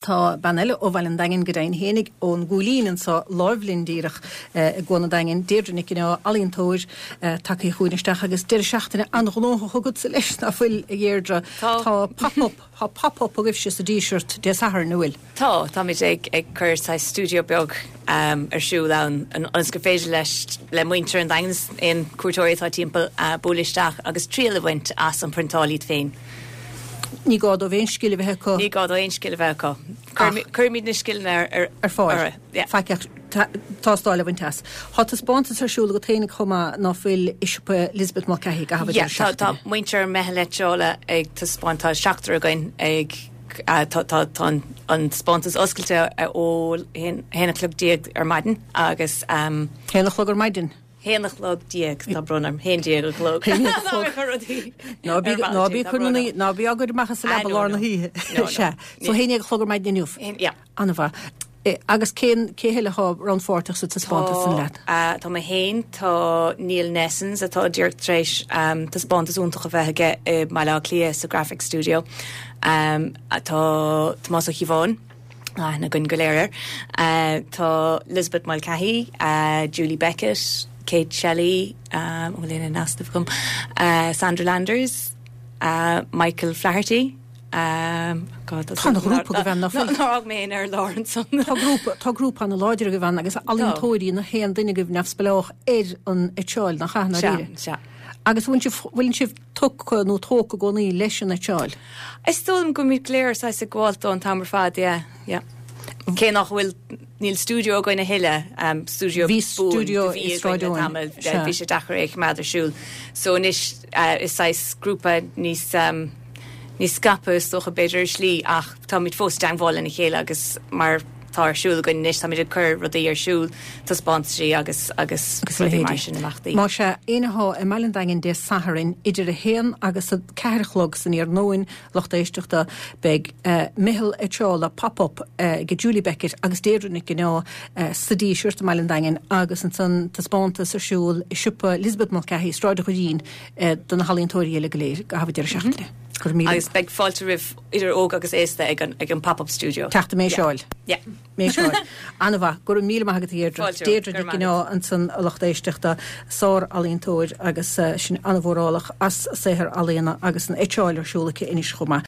Tá bean eile ó Bhaile an Daingin go deimhin fhéinig, ón gCúilín anso láimh linn díreach i gCuan an Daingin, Deirdre Nic an Ádha, ealaíontóir, tagtha chugainn isteach agus deireadh seachtaine an-ghnóthach agatsa leis, ná fuil, a Dheirdre? Tá. Tá pop-up, tá pop-up agaibhse sa Díseart Dé Sathairn, an bhfuil? Tá, táimid ag ag cur saghas stiúideo beag ar siúl ann ionas gur féidir leis, le muintir an Daingin is aon cuairteoirí atá timpeall, bualadh isteach agus triail a bhaint as an priontáil iad féin. Ní gá dóibh aon scil a bheith acu. Ní gá dóibh aon scil a bheith acu. Cuirimid na scileanna ar ar fáil. Faic ach tástáil a bhaint as. Tá taispeántas ar siúl agat féinig chomh maith ná fuil i siopa Lisbeth Mulcahy i gcaitheamh an deireadh seachtaine. Tá muintir Meitheal Eitseála ag taispeáint, tá seachtar againn ag tá an taispeántas oscailte ó haon a chlog déag ar maidin agus. Haon a chlog ar maidin? Haon a chlog déag, tá brón orm, haon déag a chlog. Haon déag a chlog. Ná bí, ná bí ag cur na, ná bí á gcur amach as an leaba lár na hoíche. Sea. So haon déag a chlog ar maidin inniu. Yeah. An-mhaith. Agus cén, cé heile atá rannpháirteach sa taispeántas san leat? Tá mé féin, tá Neil Nessens atá díreach tar éis taispeántas iontach a bheith aige i mBaile Átha Cliath sa Graphic Studio. Tá Tomás Ó Cíobháin. aithne againn go léir air. Tá Lisbeth Mulcahy, Julie Beckett, Kate Shelley, an bhfuil aon in easnamh agam, Sandra Landers, Michael Flaherty, God, tá an-ghrúpa agaibh ann, ná fuil? Nár fhág mé éinne ar lár ansan. Tá grúpa, tá grúpa an-láidir agaibh ann agus ealaíontóirí nach aon duine agaibh neamhspleách ar an eitseáil, nach ea, ndáiríre? Sea, sea. Agus bhfuil sibh, bhfuil sibh tugtha nó tógtha i gcónaí leis an eitseáil? Is dóigh liom go bhfuilimid go léir saghas ag gabháil dó an t-am ar fad, yeah, yeah. Cé nach bhfuil, níl stiúideo againn a thuilleadh, stiúideo Bhí stiúideo i Sráid Eoin, sea. Bhí sé deacair é a choimeád ar siúl. So anois is saghas grúpa níos, níos scaipthe is dócha b'fhéidir ar shlí ach táimid fós i dteangmháil lena chéile agus mar tá ar siúl againn anois, táimid ag cur rudaí ar siúl, taispeántaisí agus agus rudaí mar sin, imeachtaí. Más ea, éinne atá i mBaile an Daingin Dé Sathairn idir 1 agus 4 a chlog san iarnóin, lucht éisteachta, beidh Meitheal Eitseála Pop Up ag Julie Beckett agus Deirdre Nic an Ádha sa Díseart i mBaile an Daingin agus ansan taispeántas ar siúl i siopa Lisbeth Mulcahy, Sráid an Dhoirín, do na healaíontóirí eile go léir i gcaitheamh an deireadh seachtaine. Go raibh míle. Agus beidh fáilte roimh idir óg agus aosta ag an ag an Pop Up Studio. Teacht ag méiseáil. Yeah. Méiseáil. An-mhaith. Go raibh míle maith agat a Dheirdre. Fáilte. Deirdre Nic an Ádha ansan a lucht éisteachta, sár-ealaíontóir agus sin an-mhórálach as saothar ealaíona agus an eitseáil ar siúl aici anois chomh maith.